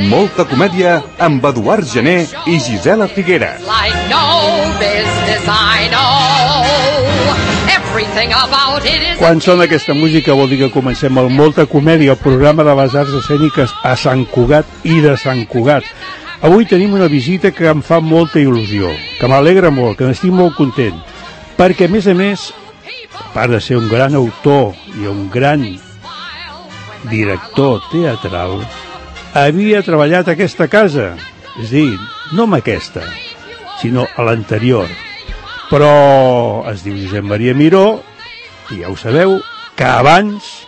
Molta comèdia amb Eduard Gené i Gisela Figueres. Quan sona aquesta música vol dir que comencem el Molta Comèdia, el programa de les arts escèniques a Sant Cugat i de Sant Cugat. Avui tenim una visita que em fa molta il·lusió, que m'alegra molt, que n'estic molt content, perquè a més, a part de ser un gran autor i un gran director teatral, havia treballat a aquesta casa, és a dir, no amb aquesta, sinó a l'anterior. Però es diu Josep Maria Miró, i ja ho sabeu, que abans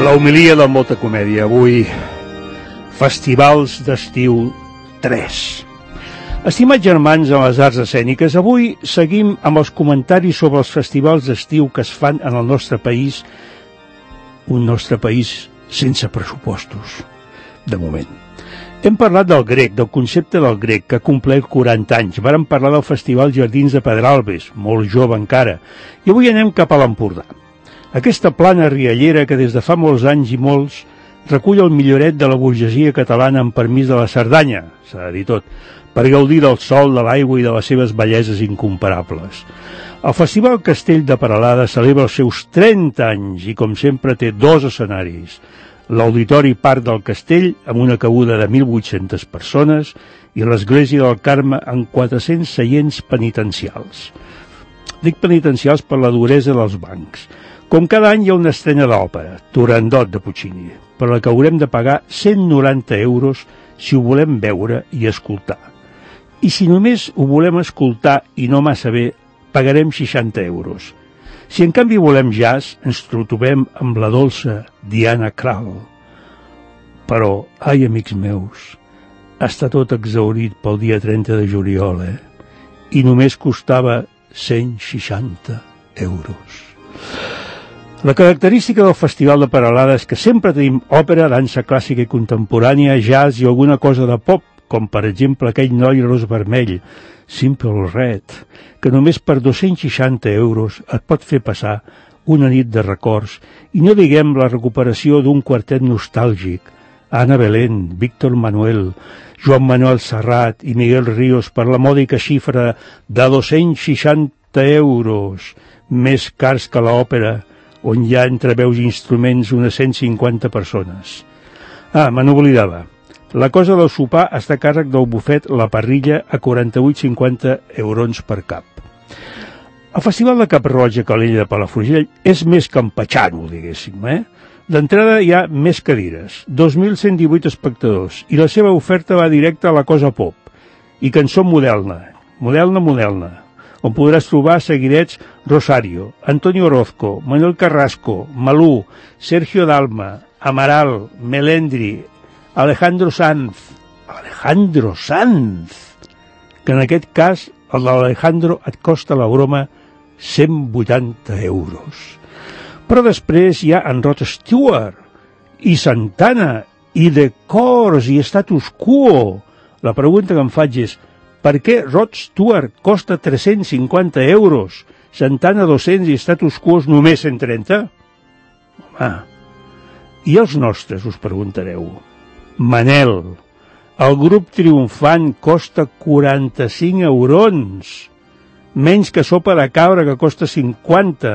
la homilia del Molta Comèdia. Avui, festivals d'estiu 3. Estimats germans en les arts escèniques, avui seguim amb els comentaris sobre els festivals d'estiu que es fan en el nostre país, un nostre país sense pressupostos, de moment. Hem parlat del grec, del concepte del grec, que compleix 40 anys. Vàrem parlar del Festival Jardins de Pedralbes, molt jove encara, i avui anem cap a l'Empordà. Aquesta plana riallera que des de fa molts anys i molts recull el milloret de la burgesia catalana amb permís de la Cerdanya, s'ha de dir tot, per gaudir del sol, de l'aigua i de les seves belleses incomparables. El Festival Castell de Peralada celebra els seus 30 anys i, com sempre, té dos escenaris. L'Auditori Parc del Castell, amb una cabuda de 1.800 persones, i l'Església del Carme amb 400 seients penitencials. Dic penitencials per la duresa dels bancs. Com cada any hi ha una estrena d'òpera, Turandot de Puccini, per la que haurem de pagar 190 euros si ho volem veure i escoltar. I si només ho volem escoltar i no massa bé, pagarem 60 euros. Si en canvi volem jazz, ens trobem amb la dolça Diana Krall. Però, ai, amics meus, està tot exhaurit pel dia 30 de juliol, I només costava 160 euros. La característica del Festival de Peralada és que sempre tenim òpera, dansa clàssica i contemporània, jazz i alguna cosa de pop, com per exemple aquell noi ros vermell, Simple Red, que només per 260 euros et pot fer passar una nit de records, i no diguem la recuperació d'un quartet nostàlgic, Ana Belén, Víctor Manuel, Joan Manuel Serrat i Miguel Ríos per la mòdica xifra de 260 euros, més cars que l'òpera, on hi ha entre veus i instruments unes 150 persones. Me n'oblidava. La cosa del sopar està a càrrec del bufet La Parrilla a 48,50 eurons per cap. El Festival de Cap-roig a Calella de Palafrugell és més campatxano, diguéssim, D'entrada hi ha més cadires, 2.118 espectadors, i la seva oferta va directa a la cosa pop, i cançó moderna, on podràs trobar seguidets Rosario, Antonio Orozco, Manuel Carrasco, Malú, Sergio Dalma, Amaral, Melendri, Alejandro Sanz, que en aquest cas el de l'Alejandro et costa la broma 180 euros. Però després hi ha en Rod Stewart, i Santana, i The Corrs, i Status Quo. La pregunta que em faig és, per què Rod Stewart costa 350 euros, Santana 200 i Status Quo només 130? I els nostres, us preguntareu. Manel, el grup triomfant costa 45 eurons, menys que Sopa de Cabra, que costa 50.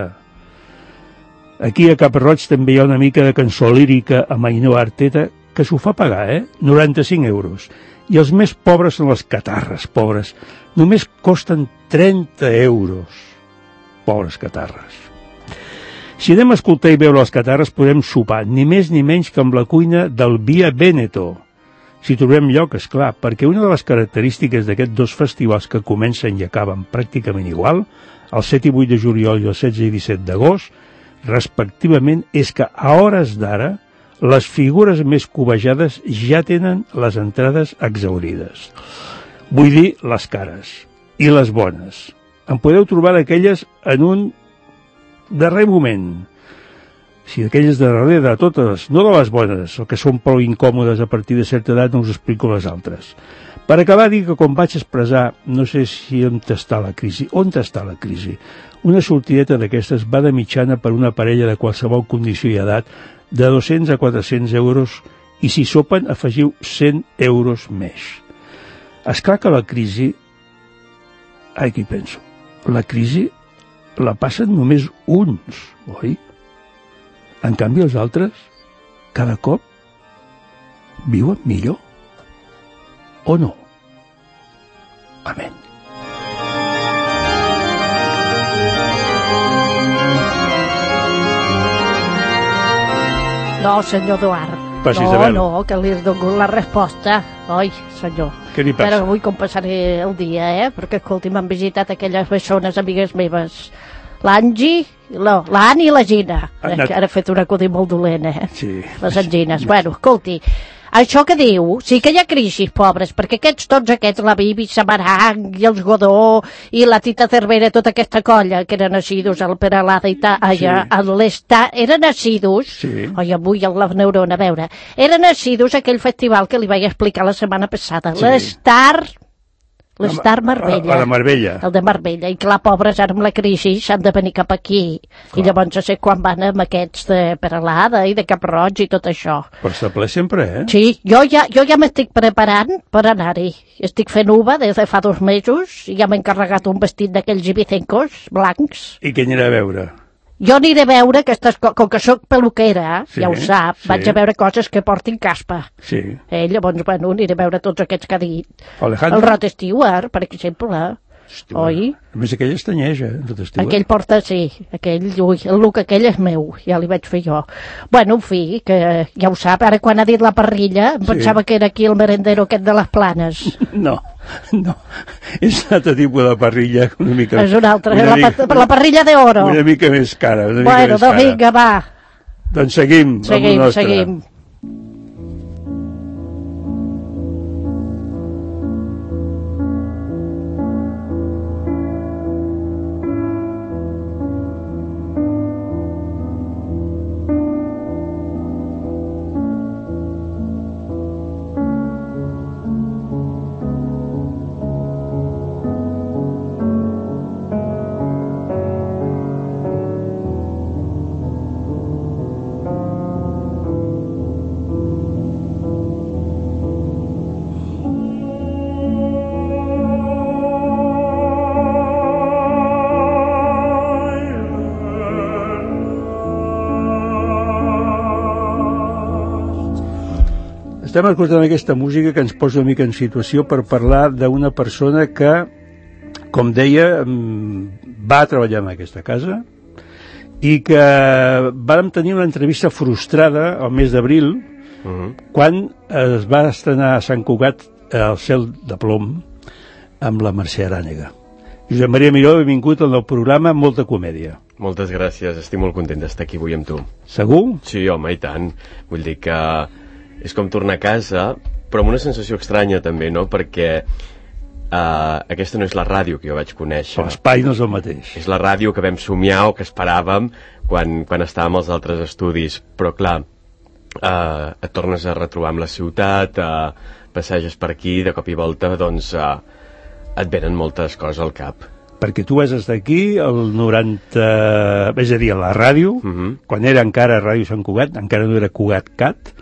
Aquí a Cap-roig també hi ha una mica de cançó lírica amb Ainhoa Arteta, que s'ho fa pagar, 95 euros. I els més pobres són les catarres, pobres. Només costen 30 euros. Pobres catarres. Si anem a escoltar i veure les catarres, podem sopar, ni més ni menys que amb la cuina del Via Veneto. Si trobem lloc, és clar, perquè una de les característiques d'aquests dos festivals que comencen i acaben pràcticament igual, el 7 i 8 de juliol i el 16 i 17 d'agost, respectivament, és que a hores d'ara les figures més cobejades ja tenen les entrades exhaurides. Vull dir, les cares. I les bones. En podeu trobar d'aquelles en un darrer moment. Si d'aquelles de darrere, totes, no de les bones, el que són prou incòmodes a partir de certa edat, no us explico les altres. Per acabar, dir que com vaig expressar, no sé si on està la crisi, una sortideta d'aquestes va de mitjana per una parella de qualsevol condició i edat de 200 a 400 euros i si sopen afegiu 100 euros més. Esclar que la crisi... Ai, què hi penso? La crisi la passen només uns, oi? En canvi, els altres, cada cop, viuen millor. O no? Amén. No, senyor Eduard. No, que li he donat la resposta. Oi, senyor. Què li passa? Però avui com passaré el dia, Perquè, escolti, m'han visitat aquelles bessones amigues meves. L'Angi, l'Anna i la Gina. Que ara he fet un acudit molt dolent, Sí. Les angines. Bueno, escolti, això que diu, sí que hi ha crisis, pobres, perquè tots aquests, la Bibi, Samarang, i els Godó, i la Tita Cervera, tota aquesta colla, que eren assidus al Peralada i allà, a l'Estar, eren assidus, oi, avui la neurona, a veure, eren assidus aquell festival que li vaig explicar la setmana passada, l'Estar Marbella. A la Marbella. El de Marbella. I clar, pobres, ara amb la crisi s'han de venir cap aquí. Clar. I llavors no sé quan van amb aquests de Peralada i de Cap-roig i tot això. Però està ple sempre, Sí, jo ja m'estic preparant per anar-hi. Estic fent uva des de fa 2 mesos i ja m'he encarregat un vestit d'aquells ibicencos blancs. I què anirà a veure? Jo aniré a veure aquestes coses, com que sóc peluquera, ja ho sap, vaig a veure coses que portin caspa. Sí. Llavors, bueno, aniré a veure tots aquests que ha dit. Alejandro? El Rod Stewart, per exemple. Oi? A més, aquell estanyeja, Rod Stewart. Aquell porta, sí, el look aquell és meu, ja li vaig fer jo. Bueno, en fi, que ja ho sap, ara quan ha dit la parrilla, em pensava que era aquí el merendero aquest de les Planes. No, és un altre tipus de parrilla, una mica... És una altra, la parrilla d'oro. Una mica més cara, Bueno, doncs vinga, va. Doncs seguim. Seguim. Estem escoltant aquesta música que ens posa una mica en situació per parlar d'una persona que, com deia, va treballar en aquesta casa i que vàrem tenir una entrevista frustrada al mes d'abril quan es va estrenar a Sant Cugat El cel de plom amb la Mercè Arànega. Josep Maria Miró, benvingut al nou programa Molta Comèdia. Moltes gràcies, estic molt content d'estar aquí avui amb tu. Segur? Sí, home, i tant. Vull dir que és com tornar a casa, però amb una sensació estranya també, no? Perquè aquesta no és la ràdio que jo vaig conèixer. L'espai no és el mateix. És la ràdio que vam somiar o que esperàvem quan estàvem als altres estudis. Però clar, et tornes a retrobar amb la ciutat, passeges per aquí, de cop i volta, doncs et venen moltes coses al cap. Perquè tu vas estar aquí el 90... és a dir, a la ràdio, quan era encara Ràdio Sant Cugat, encara no era Cugat Cat,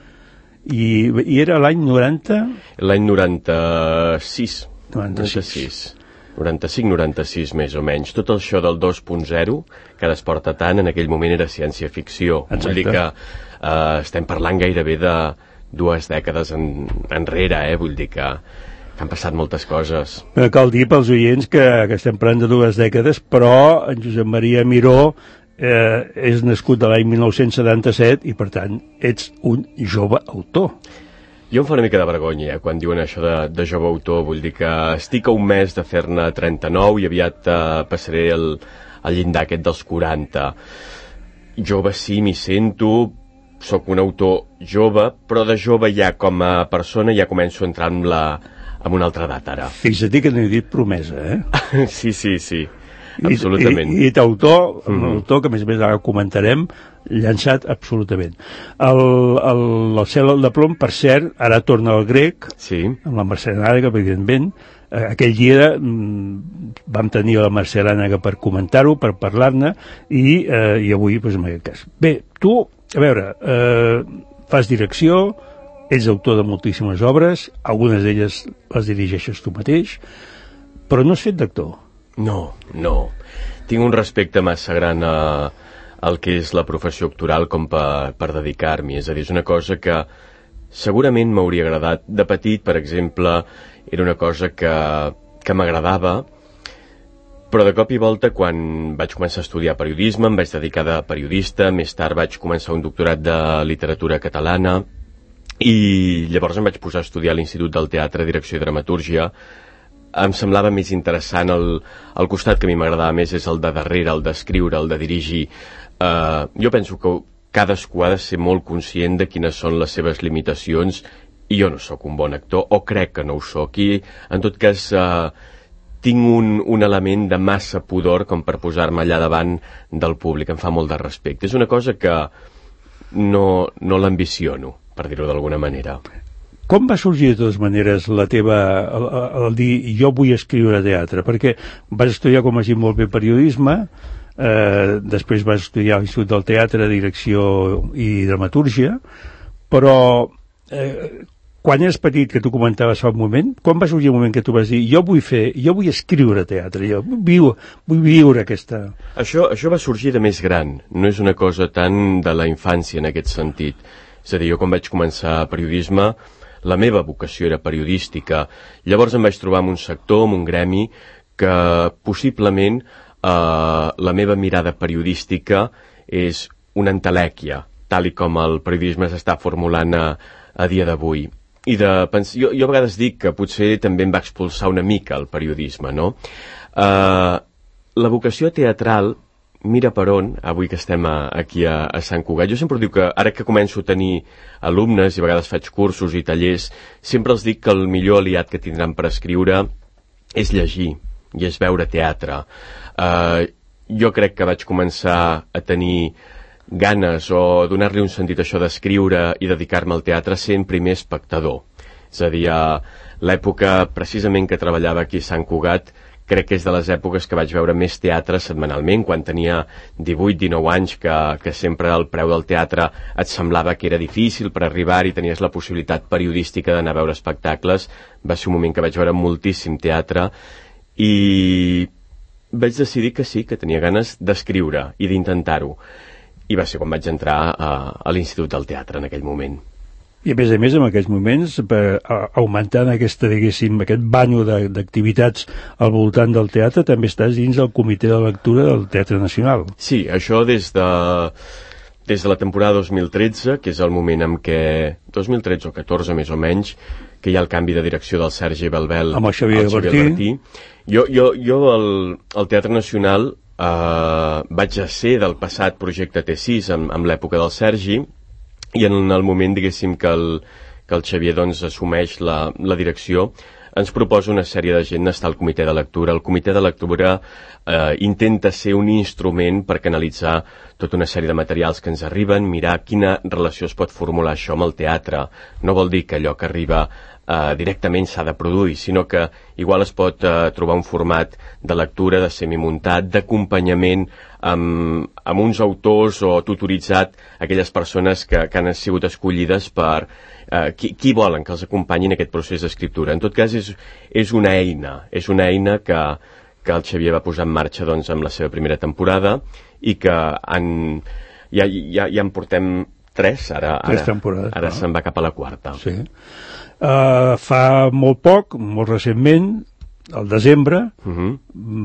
i era l'any 90? L'any 96. 95-96 més o menys. Tot això del 2.0 que ara es porta tant, en aquell moment era ciència-ficció. Vull dir que estem parlant gairebé de 2 dècades enrere, vull dir que han passat moltes coses. Cal dir pels oients que estem parlant de 2 dècades, però en Josep Maria Miró és nascut de l'any 1977 i per tant ets un jove autor. Jo em fa una mica de vergonya quan diuen això de jove autor. Vull dir que estic a un mes de fer-ne 39 i aviat passaré el llindar aquest dels 40. Jove sí, m'hi sento, sóc un autor jove, però de jove ja com a persona ja començo a entrar amb una altra edat ara. Fixa't que no he dit promesa, Sí. Absolutament. I autor, que a més ara comentarem, llançat absolutament. El cel de plom, per cert, ara torna al grec, Sí. amb la Mercè Lànega, evidentment. Aquell dia vam tenir la Mercè Lànega per comentar-ho, per parlar-ne, i avui, doncs, en aquest cas. Bé, tu, a veure, fas direcció, ets autor de moltíssimes obres, algunes d'elles les dirigeixes tu mateix, però no has fet d'actor. No. Tinc un respecte massa gran al que és la professió actoral com per dedicar-m'hi. És a dir, és una cosa que segurament m'hauria agradat. De petit, per exemple, era una cosa que m'agradava, però de cop i volta, quan vaig començar a estudiar periodisme, em vaig dedicar de periodista, més tard vaig començar un doctorat de literatura catalana, i llavors em vaig posar a estudiar a l'Institut del Teatre, Direcció i Dramatúrgia. Em semblava més interessant el costat que a mi m'agradava més és el de darrere, el d'escriure, el de dirigir. Jo penso que cadascú ha de ser molt conscient de quines són les seves limitacions, i jo no sóc un bon actor, o crec que no ho sóc, i en tot cas tinc un element de massa pudor com per posar-me allà davant del públic. Em fa molt de respecte. És una cosa que no l'ambiciono, per dir-ho d'alguna manera. Com va sorgir, de totes maneres, la teva... el dir, jo vull escriure teatre? Perquè vas estudiar, com has dit molt bé, periodisme, després vas estudiar a l'Institut del Teatre, Direcció i Dramatúrgia, però quan eres petit, que tu comentaves fa un moment, quan va sorgir el moment que tu vas dir jo vull escriure teatre, jo vull viure aquesta... Això va sorgir de més gran, no és una cosa tan de la infància en aquest sentit. És a dir, jo quan vaig començar periodisme, la meva vocació era periodística. Llavors em vaig trobar en un sector, en un gremi, que possiblement la meva mirada periodística és una entelèquia, tal i com el periodisme s'està formulant a dia d'avui. Jo a vegades dic que potser també em va expulsar una mica el periodisme, no? La vocació teatral, mira per on, avui que estem aquí a Sant Cugat. Jo sempre dic que ara que començo a tenir alumnes i a vegades faig cursos i tallers, sempre els dic que el millor aliat que tindran per escriure és llegir i és veure teatre. Jo crec que vaig començar a tenir ganes o donar-li un sentit a això d'escriure i dedicar-me al teatre sent primer espectador. És a dir, a l'època precisament que treballava aquí a Sant Cugat, crec que és de les èpoques que vaig veure més teatre setmanalment, quan tenia 18-19 anys, que sempre el preu del teatre et semblava que era difícil per arribar-hi, tenies la possibilitat periodística d'anar a veure espectacles. Va ser un moment que vaig veure moltíssim teatre i vaig decidir que sí, que tenia ganes d'escriure i d'intentar-ho. I va ser quan vaig entrar a l'Institut del Teatre en aquell moment. I a més, en aquests moments, augmentant aquest banyo d'activitats al voltant del teatre, també estàs dins del comitè de lectura del Teatre Nacional. Sí, això des de la temporada 2013, que és el moment en què, 2013 o 14 més o menys, que hi ha el canvi de direcció del Sergi Belbel amb el Xavier Bertí. Jo al Teatre Nacional vaig a ser del passat projecte T6 amb l'època del Sergi, i en el moment, diguéssim, que el Xavier doncs, assumeix la direcció, ens proposa una sèrie de gent d'estar al comitè de lectura. El comitè de lectura intenta ser un instrument per canalitzar tota una sèrie de materials que ens arriben, mirar quina relació es pot formular això amb el teatre. No vol dir que allò que arriba directament s'ha de produir, sinó que igual es pot trobar un format de lectura, de semimuntat, d'acompanyament amb uns autors o tutoritzat aquelles persones que han sigut escollides per qui volen que els acompanyin en aquest procés d'escriptura. En tot cas, és una eina que el Xavier va posar en marxa doncs, amb la seva primera temporada i que ja en portem 3 temporades. Ara se'n va cap a la 4. Sí. Fa molt poc, molt recentment, al desembre,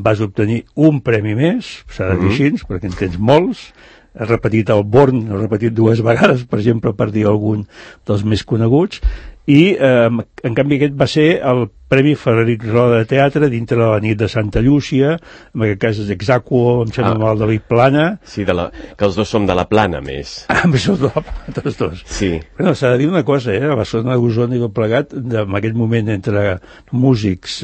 vas obtenir un premi més, s'ha de dir així, perquè en tens molts. Has repetit el Born, has repetit 2 vegades, per exemple, per dir algun dels més coneguts, i en canvi aquest va ser el Premi Frederic Roda de Teatre dintre de la nit de Santa Llúcia, en aquest cas és Exacuo, em sembla mal, David Plana. Sí, que els dos som de la Plana, més. Tots dos. Sí. Bueno, s'ha de dir una cosa, a Barcelona, Osona i tot plegat, en aquest moment entre músics,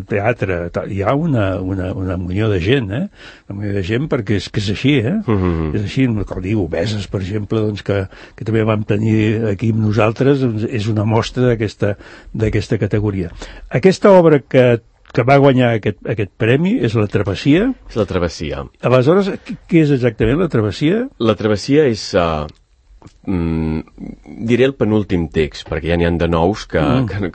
teatre, hi ha una munió de gent, una munió de gent, perquè és que és així, és així, com diu, Obeses, per exemple, doncs, que també vam tenir aquí amb nosaltres, doncs, és una mostra d'aquesta categoria. Aquesta obra que va guanyar aquest premi és La Travessia. És La Travessia. Aleshores, què és exactament La Travessia? La Travessia és, diré el penúltim text, perquè ja n'hi ha de nous que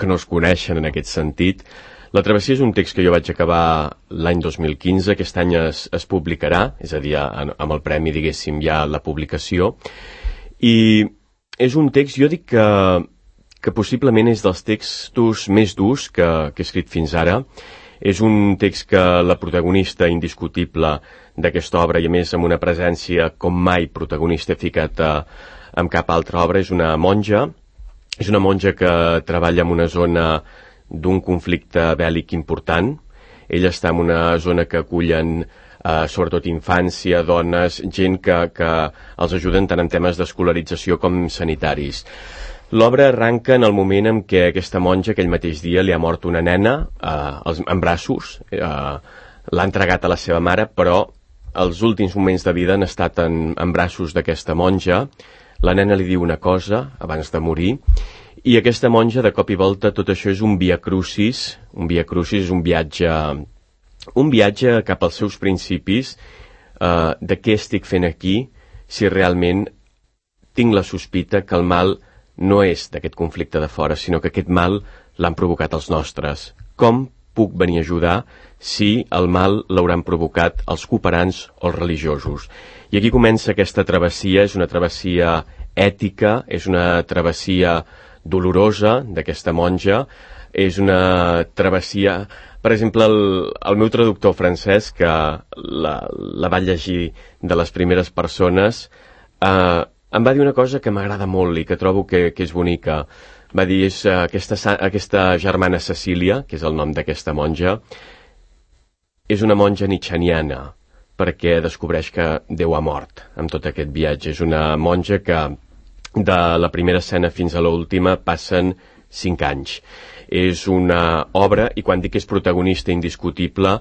no es coneixen en aquest sentit. La Travessia és un text que jo vaig acabar l'any 2015, aquest any es publicarà, és a dir, amb el premi, diguéssim, ja la publicació, i és un text, jo dic que possiblement és dels textos més durs que he escrit fins ara. És un text que la protagonista indiscutible d'aquesta obra, i a més amb una presència com mai protagonista ficat amb cap altra obra, és una monja. És una monja que treballa en una zona d'un conflicte bèl·lic important. Ella està en una zona que acullen sobretot infància, dones, gent que els ajuden tant en temes d'escolarització com sanitaris. L'obra arranca en el moment en què aquesta monja aquell mateix dia li ha mort una nena en braços, l'ha entregat a la seva mare, però els últims moments de vida han estat en braços d'aquesta monja. La nena li diu una cosa abans de morir, i aquesta monja, de cop i volta, tot això és un via crucis. Un via crucis és un viatge cap als seus principis, de què estic fent aquí, si realment tinc la sospita que el mal no és d'aquest conflicte de fora, sinó que aquest mal l'han provocat els nostres. Com puc venir a ajudar si el mal l'hauran provocat els cooperants o els religiosos? I aquí comença aquesta travessia, és una travessia ètica, és una travessia dolorosa d'aquesta monja, és una travessia... Per exemple, el meu traductor francès, que la va llegir de les primeres persones, em va dir una cosa que m'agrada molt i que trobo que és bonica. Va dir, és aquesta germana Cecília, que és el nom d'aquesta monja, és una monja nietzscheana, perquè descobreix que Déu ha mort amb tot aquest viatge. És una monja que de la primera escena fins a l'última passen 5 anys. És una obra, i quan dic que és protagonista indiscutible,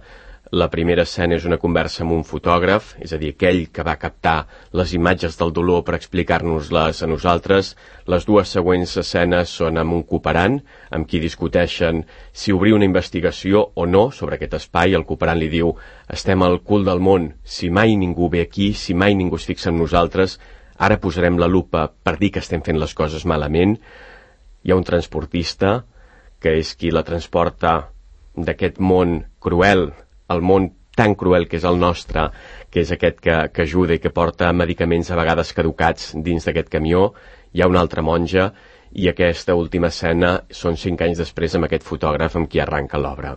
la primera escena és una conversa amb un fotògraf, és a dir, aquell que va captar les imatges del dolor per explicar-nos-les a nosaltres. Les 2 següents escenes són amb un cooperant, amb qui discuteixen si obrir una investigació o no sobre aquest espai. El cooperant li diu, estem al cul del món, si mai ningú ve aquí, si mai ningú es fixa en nosaltres, ara posarem la lupa per dir que estem fent les coses malament. Hi ha un transportista, que és qui la transporta d'aquest món cruel, el món tan cruel que és el nostre, que és aquest que ajuda i que porta medicaments a vegades caducats dins d'aquest camió. Hi ha una altra monja, i aquesta última escena són 5 anys després amb aquest fotògraf amb qui arranca l'obra.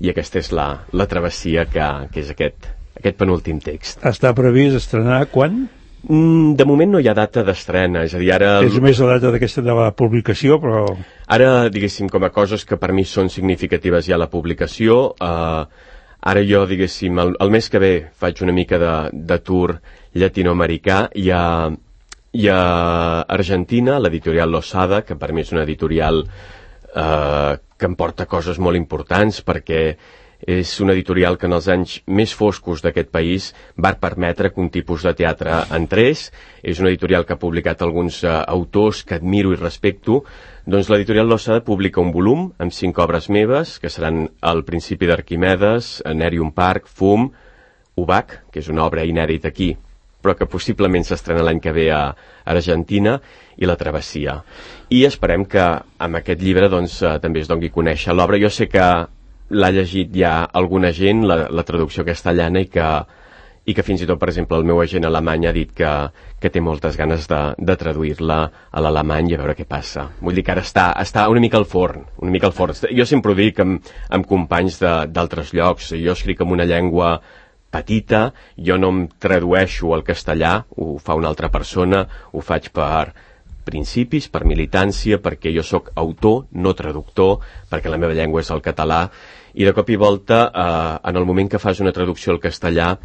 I aquesta és la travessia que és aquest penúltim text. Està previst estrenar quan? De moment no hi ha data d'estrena, és a dir, ara... És només la data d'aquesta de la publicació, però... Ara, diguéssim, com a coses que per mi són significatives hi ha la publicació. Ara jo, diguéssim, el mes que ve faig una mica de tour llatinoamericà. Hi ha Argentina, l'editorial Losada, que per mi és una editorial que em porta coses molt importants, perquè és una editorial que en els anys més foscos d'aquest país va permetre que un tipus de teatre entrés. És una editorial que ha publicat alguns autors que admiro i respecto. Doncs l'editorial Losada publica un volum amb 5 obres meves, que seran El principi d'Arquimedes, Nerium Park, Fum, Ubac, que és una obra inèdita aquí, però que possiblement s'estrena l'any que ve a Argentina, i La travessia. I esperem que amb aquest llibre doncs, també es doni a conèixer l'obra. Jo sé que l'ha llegit ja alguna gent, la traducció castellana, i que fins i tot, per exemple, el meu agent alemany ha dit que té moltes ganes de traduir-la a l'alemany i a veure què passa. Vull dir que ara està una mica al forn, Jo sempre ho dic amb companys d'altres llocs. Jo escric en una llengua petita, jo no em tradueixo al castellà, ho fa una altra persona, ho faig per principis, per militància, perquè jo sóc autor, no traductor, perquè la meva llengua és el català, i de cop i volta, en el moment que fas una traducció al castellà,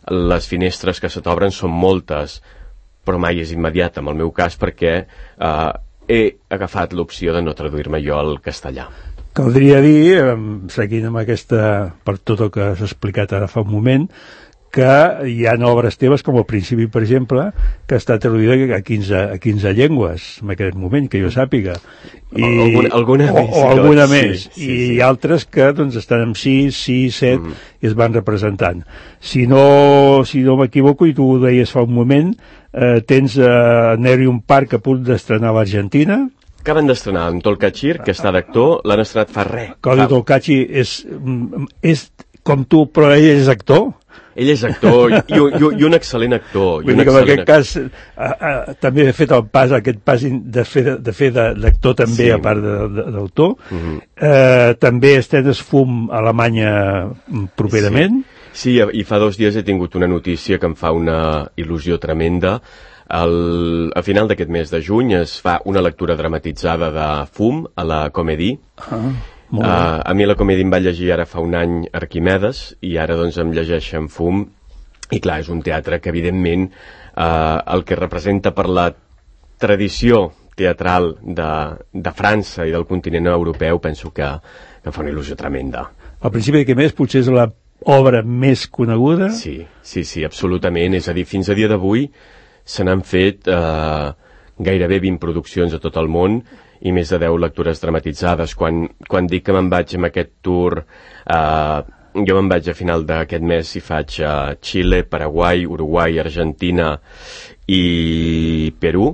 les finestres que se t'obren són moltes, però mai és immediata, en el meu cas, perquè he agafat l'opció de no traduir-me jo al castellà. Caldria dir, seguint amb aquesta, per tot el que has explicat ara fa un moment, que hi ha obres teves, com al principi, per exemple, que està traduïda a 15 llengües, en aquest moment, que jo sàpiga. Alguna més. O alguna més. I altres que doncs, estan amb 6, 7, i es van representant. Si no m'equivoco, i tu ho deies fa un moment, tens Nerium Park a punt d'estrenar a l'Argentina. Acaben d'estrenar en Tolkachir, que està d'actor, l'han estrenat fa res. Claudio Tolkachi és com tu, però ell és actor. Ell és actor i un excel·lent actor. Vull dir que en aquest cas també he fet aquest pas de fer d'actor també, a part d'autor. També estrenes Fum a Alemanya properament. Sí, i fa 2 dies he tingut una notícia que em fa una il·lusió tremenda. A final d'aquest mes de juny es fa una lectura dramatitzada de Fum a la Comédie. A mi la Comèdia em va llegir ara fa un any Arquimedes i ara doncs em llegeixen Fum, i clar, és un teatre que evidentment el que representa per la tradició teatral de França i del continent europeu penso que em fa una il·lusió tremenda. Al principi d'aquest mes potser és l'obra més coneguda? Sí, absolutament, és a dir, fins a dia d'avui se n'han fet gairebé 20 produccions a tot el món i més de 10 lectures dramatitzades. Quan dic que me'n vaig amb aquest tour, jo me'n vaig a final d'aquest mes i faig a Xile, Paraguai, Uruguai, Argentina i Perú.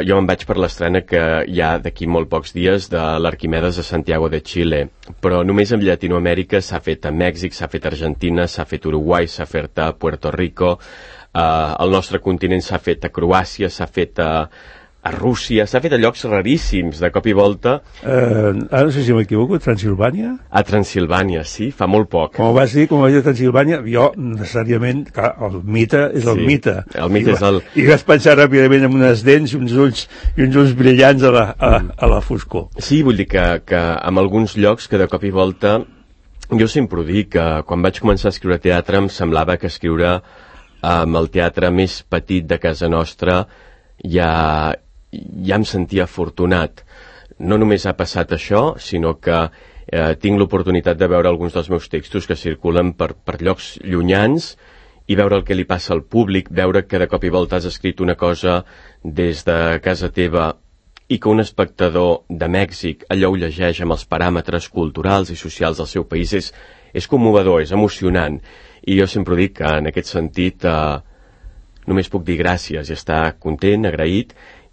Jo me'n vaig per l'estrena que hi ha d'aquí molt pocs dies de l'Arquimedes a Santiago de Xile, però només en Llatinoamèrica s'ha fet a Mèxic, s'ha fet a Argentina, s'ha fet a Uruguai, s'ha fet a Puerto Rico, al nostre continent s'ha fet a Croàcia, s'ha fet a Rússia, s'ha fet a llocs raríssims, de cop i volta. Ara no sé si m'equivoco, Transilvània? A Transilvània, sí, fa molt poc. Com vas dir a Transilvània, jo necessàriament, clar, el mite és el mite. El mite és el... I vas pensar ràpidament en unes dents i uns ulls brillants a la foscor. Sí, vull dir que en alguns llocs que de cop i volta, jo sempre ho dic, que quan vaig començar a escriure teatre em semblava que escriure amb el teatre més petit de casa nostra ja em sentia afortunat. No només ha passat això, sinó que tinc l'oportunitat de veure alguns dels meus textos que circulen per llocs llunyans i veure el que li passa al públic, veure que de cop i volta has escrit una cosa des de casa teva i que un espectador de Mèxic allò ho llegeix amb els paràmetres culturals i socials del seu país és commovedor, és emocionant. I jo sempre dic que en aquest sentit només puc dir gràcies i estar content, agraït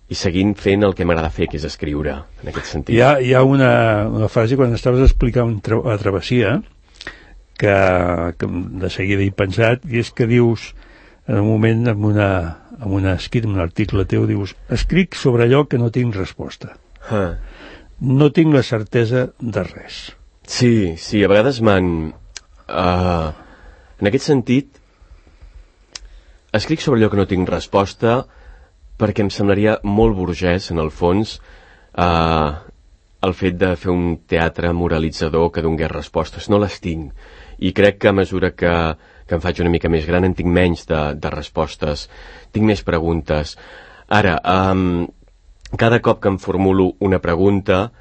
i seguint fent el que m'agrada fer, que és escriure, en aquest sentit. Hi ha una frase quan estaves explicant la travessia que de seguida he pensat, i és que dius en un moment, en un article teu, dius: escric sobre allò que no tinc resposta. No tinc la certesa de res. Sí, a vegades en aquest sentit, escric sobre allò que no tinc resposta perquè em semblaria molt burgès, en el fons, el fet de fer un teatre moralitzador que donés respostes. No les tinc. I crec que a mesura que em faig una mica més gran en tinc menys de respostes, tinc més preguntes. Ara, cada cop que em formulo una pregunta,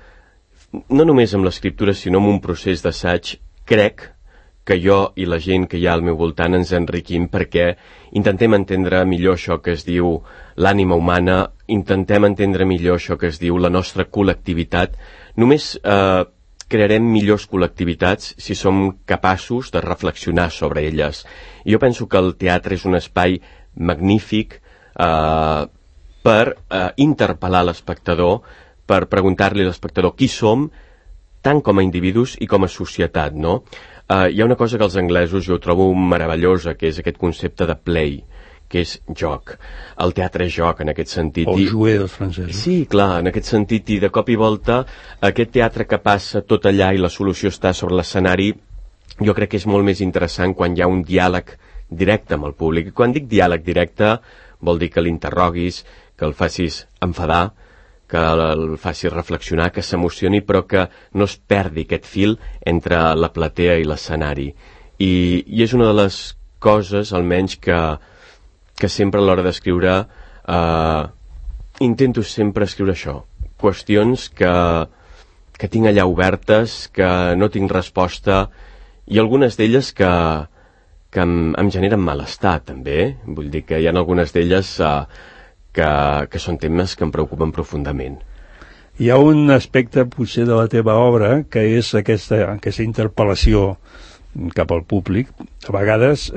no només amb l'escriptura, sinó amb un procés d'assaig, crec que jo i la gent que hi ha al meu voltant ens enriquim perquè intentem entendre millor això que es diu l'ànima humana, intentem entendre millor això que es diu la nostra col·lectivitat. Només crearem millors col·lectivitats si som capaços de reflexionar sobre elles. I jo penso que el teatre és un espai magnífic per interpel·lar l'espectador, per preguntar-li a l'espectador qui som, tant com a individus i com a societat, no? Hi ha una cosa que els anglesos jo trobo meravellosa, que és aquest concepte de play, que és joc. El teatre és joc, en aquest sentit. O jouer dels francesos. Sí, clar, en aquest sentit, i de cop i volta, aquest teatre que passa tot allà i la solució està sobre l'escenari, jo crec que és molt més interessant quan hi ha un diàleg directe amb el públic. I quan dic diàleg directe, vol dir que l'interroguis, que el facis enfadar, que el facis reflexionar, que s'emocioni, però que no es perdi aquest fil entre la platea i l'escenari. I és una de les coses, almenys, que sempre a l'hora d'escriure intento sempre escriure això. Qüestions que tinc allà obertes, que no tinc resposta, i algunes d'elles que em generen malestar, també. Vull dir que hi ha algunes d'elles que són temes que em preocupen profundament. Hi ha un aspecte, potser, de la teva obra, que és aquesta interpel·lació cap al públic, a vegades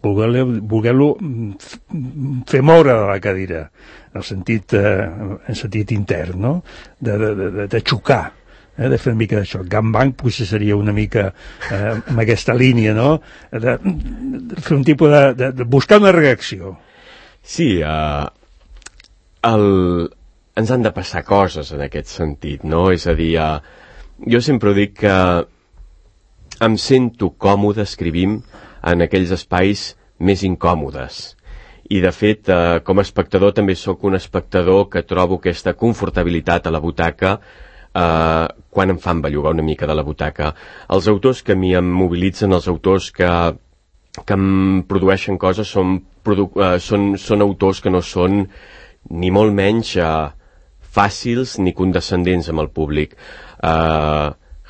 voler-lo fer moure de la cadira, en sentit intern, no? De xocar, de fer una mica d'això. Gangbang potser seria una mica amb aquesta línia, no? De fer un tipus de buscar una reacció. Sí, ens han de passar coses en aquest sentit, no? És a dir, jo sempre dic que em sento còmode escrivint en aquells espais més incòmodes. I, de fet, com a espectador també sóc un espectador que trobo aquesta confortabilitat a la butaca quan em fan bellugar una mica de la butaca. Els autors que a mi em mobilitzen, els autors que em produeixen coses, són autors que no són ni molt menys fàcils ni condescendents amb el públic.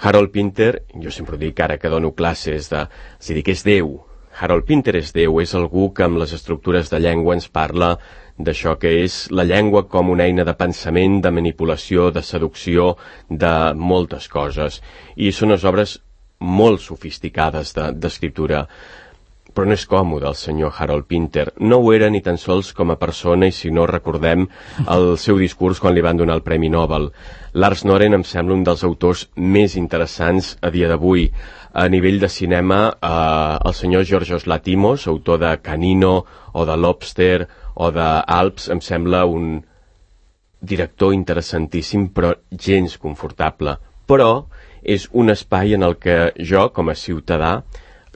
Harold Pinter, jo sempre dic ara que dono classes és dir, que és Déu. Harold Pinter és Déu, és algú que amb les estructures de llengua ens parla d'això que és la llengua com una eina de pensament, de manipulació, de seducció, de moltes coses. I són unes obres molt sofisticades d'escriptura. Però no és còmode el senyor Harold Pinter. No ho era ni tan sols com a persona, i si no recordem el seu discurs quan li van donar el Premi Nobel. Lars Noren em sembla un dels autors més interessants a dia d'avui. A nivell de cinema, el senyor Yorgos Lanthimos, autor de Canino o de Lobster o d'Alps, em sembla un director interessantíssim, però gens confortable. Però és un espai en el que jo, com a ciutadà,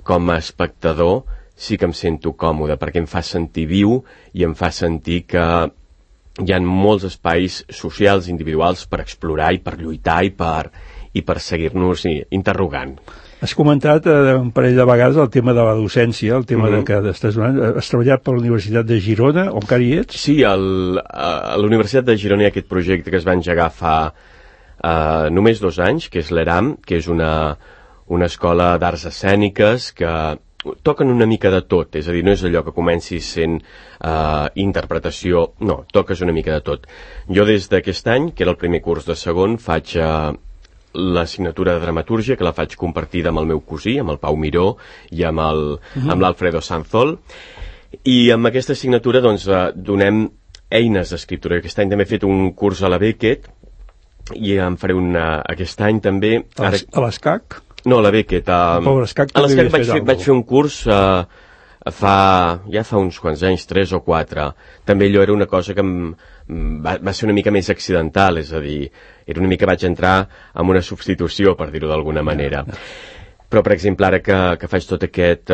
com a espectador, sí que em sento còmode, perquè em fa sentir viu i em fa sentir que hi ha molts espais socials, individuals, per explorar i per lluitar i per seguir-nos interrogant. Has comentat un parell de vegades el tema de la docència, el tema de que has treballat per la Universitat de Girona, on encara hi ets? Sí, a la Universitat de Girona hi ha aquest projecte que es va engegar fa només 2 anys, que és l'ERAM, que és una escola d'arts escèniques que toquen una mica de tot, és a dir, no és allò que comencis sent interpretació, no, toques una mica de tot. Jo des d'aquest any, que era el primer curs de segon, faig l'assignatura de dramatúrgia, que la faig compartida amb el meu cosí, amb el Pau Miró i amb l'Alfredo Sanzol, i amb aquesta assignatura doncs donem eines d'escriptura. Aquest any també he fet un curs a la Beckett i en faré aquest any també. A l'ESCAC? No, a la Beckett. A l'ESCAC vaig fer un curs fa uns quants anys, 3 o 4. També allò era una cosa que va ser una mica més accidental, és a dir, era una mica vaig entrar amb una substitució, per dir-ho d'alguna manera. Però, per exemple, ara que faig tot aquest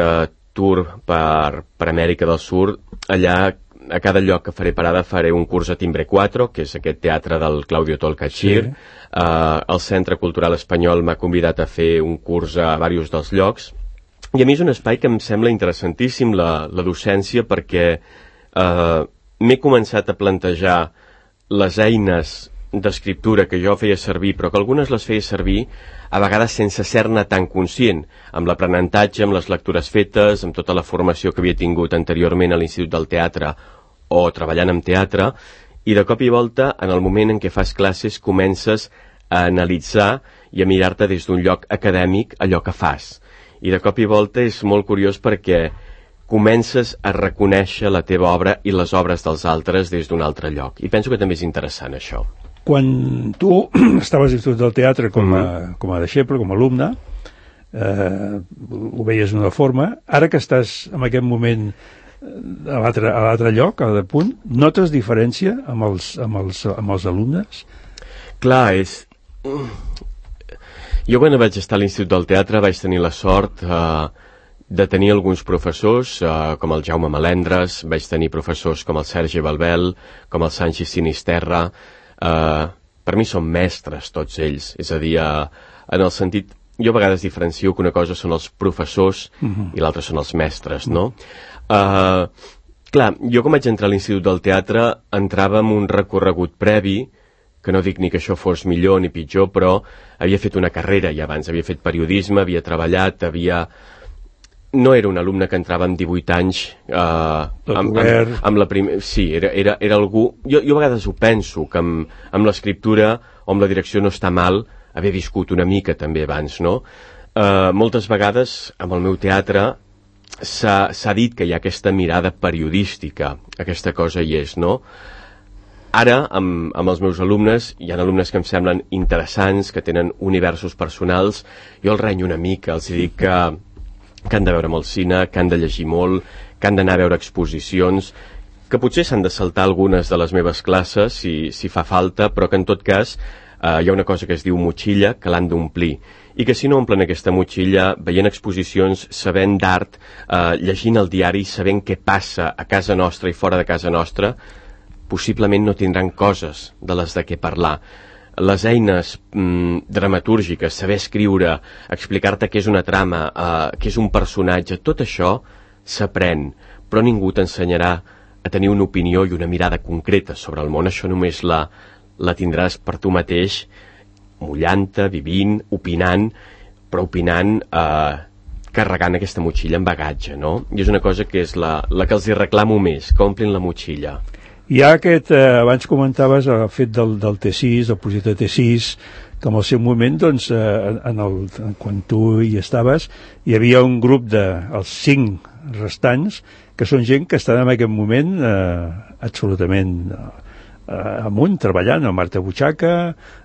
tour per Amèrica del Sud, allà a cada lloc que faré parada faré un curs a Timbre 4, que és aquest teatre del Claudio Tolcachir. Sí. El Centre Cultural Espanyol m'ha convidat a fer un curs a diversos dels llocs. I a mi és un espai que em sembla interessantíssim, la docència, perquè m'he començat a plantejar les eines d'escriptura que jo feia servir, però que algunes les feia servir a vegades sense ser-ne tan conscient, amb l'aprenentatge, amb les lectures fetes, amb tota la formació que havia tingut anteriorment a l'Institut del Teatre o treballant en teatre, i de cop i volta, en el moment en què fas classes, comences a analitzar i a mirar-te des d'un lloc acadèmic allò que fas. I de cop i volta és molt curiós perquè comences a reconèixer la teva obra i les obres dels altres des d'un altre lloc. I penso que també és interessant això. Quan tu estaves a l'Institut del Teatre com a deixeble, com a alumne, ho veies d'una forma. Ara que estàs en aquest moment a l'altre lloc, a l'altre punt, notes diferència amb els alumnes? Clar, Jo quan vaig estar a l'Institut del Teatre vaig tenir la sort de tenir alguns professors com el Jaume Melendres, vaig tenir professors com el Sergi Balbel, com el Sanchi Sinisterra. Per mi són mestres tots ells, és a dir, en el sentit, jo a vegades diferencio que una cosa són els professors i l'altra són els mestres, no? Clar, jo com vaig entrar a l'Institut del Teatre entrava amb un recorregut previ, que no dic ni que això fos millor ni pitjor, però havia fet una carrera ja abans, havia fet periodisme, havia treballat, no era un alumne que entrava amb 18 anys amb la primera... Sí, era algú... Jo a vegades ho penso, que amb l'escriptura o amb la direcció no està mal haver viscut una mica també abans, no? Moltes vegades amb el meu teatre s'ha dit que hi ha aquesta mirada periodística, aquesta cosa hi és, no? Ara, amb els meus alumnes, hi ha alumnes que em semblen interessants, que tenen universos personals, jo els renyo una mica, els dic que han de veure molt cine, que han de llegir molt, que han d'anar a veure exposicions, que potser s'han de saltar algunes de les meves classes si fa falta, però que en tot cas hi ha una cosa que es diu motxilla, que l'han d'omplir, i que si no omplen aquesta motxilla veient exposicions, sabent d'art, llegint el diari, sabent què passa a casa nostra i fora de casa nostra, possiblement no tindran coses de les de què parlar. Les eines dramatúrgiques, saber escriure, explicar-te què és una trama, què és un personatge, tot això s'aprèn, però ningú t'ensenyarà a tenir una opinió i una mirada concreta sobre el món. Això només la tindràs per tu mateix, mullant-te, vivint, opinant, però opinant carregant aquesta motxilla amb bagatge, no? I és una cosa que és la que els hi reclamo més, que omplin la motxilla. Hi ha aquest, abans comentaves el fet del T6, del projecte T6, que en el seu moment, doncs, quan tu hi estaves, hi havia un grup els 5 restants, que són gent que estan en aquest moment absolutament amunt, treballant, el Marta Butxaca,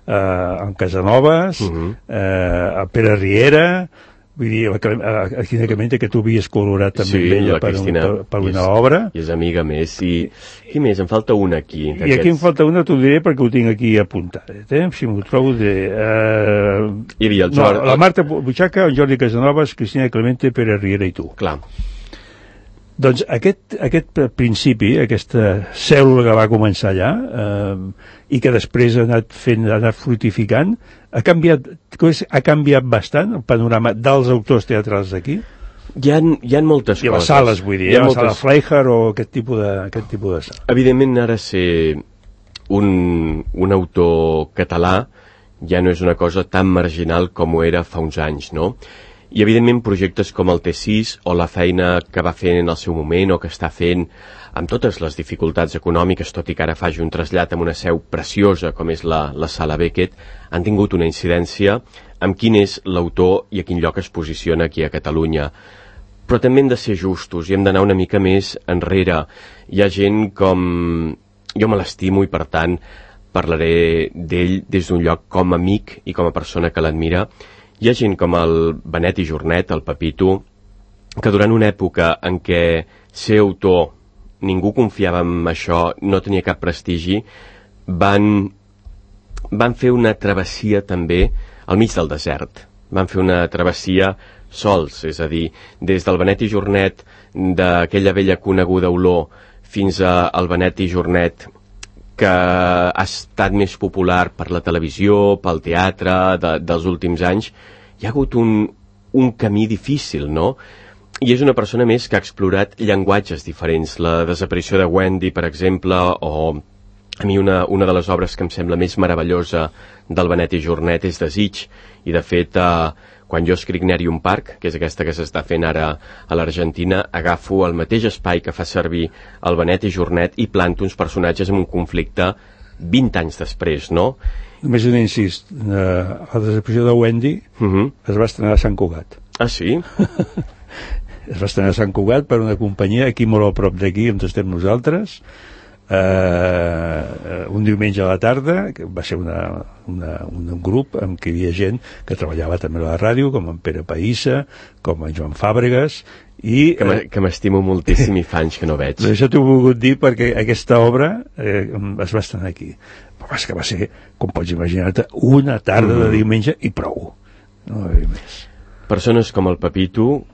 en Casanovas, el Pere Riera, vull dir, la Cristina Clemente, que tu havies col·laborat també amb ella per una obra. I és amiga més. I qui més? Em falta una aquí. I aquí em falta una, t'ho diré perquè ho tinc aquí apuntat. Si m'ho trobo de... Hi havia el Jordi... la Marta Butxaca, en Jordi Casanovas, Cristina Clemente, Pere Riera i tu. Clar. Doncs aquest principi, aquesta cèl·lula que va començar allà i que després ha anat fructificant, ha canviat bastant el panorama dels autors teatrals d'aquí? Hi ha moltes coses. I les sales, vull dir, la sala Fleischer o aquest tipus de sala. Evidentment, ara ser un autor català ja no és una cosa tan marginal com ho era fa uns anys, no? I evidentment projectes com el T6 o la feina que va fent en el seu moment o que està fent amb totes les dificultats econòmiques, tot i que ara faci un trasllat amb una seu preciosa com és la Sala Beckett, han tingut una incidència amb quin és l'autor i a quin lloc es posiciona aquí a Catalunya. Però també hem de ser justos i hem d'anar una mica més enrere. Hi ha gent com... Jo me l'estimo i per tant parlaré d'ell des d'un lloc com a amic i com a persona que l'admira. Hi ha gent com el Benet i Jornet, el Pepito, que durant una època en què ser autor ningú confiava en això, no tenia cap prestigi, van fer una travessia també al mig del desert. Van fer una travessia sols, és a dir, des del Benet i Jornet, d'aquella vella coneguda olor, fins al Benet i Jornet, que ha estat més popular per la televisió, pel teatre, dels últims anys. Hi ha hagut un camí difícil, no? I és una persona més que ha explorat llenguatges diferents. La desaparició de Wendy, per exemple, o a mi una de les obres que em sembla més meravellosa del Benet i Jornet és Desig, i de fet quan jo escric Nerium Park, que és aquesta que s'està fent ara a l'Argentina, agafo el mateix espai que fa servir el Benet i Jornet i planto uns personatges en un conflicte 20 anys després, no? Només un incís, la desaparició de Wendy es va estrenar a Sant Cugat. Ah, sí? Es va estrenar a Sant Cugat per una companyia aquí molt a prop d'aquí on estem nosaltres, un diumenge a la tarda, que va ser un grup en què hi havia gent que treballava també a la ràdio, com en Pere Païssa, com en Joan Fàbregas, i que m'estimo moltíssim i fa anys que no veig. Això t'ho he volgut dir perquè aquesta obra es va estrenar aquí, però és que va ser, com pots imaginar-te, una tarda de diumenge i prou, no va haver més. Persones com el Pepito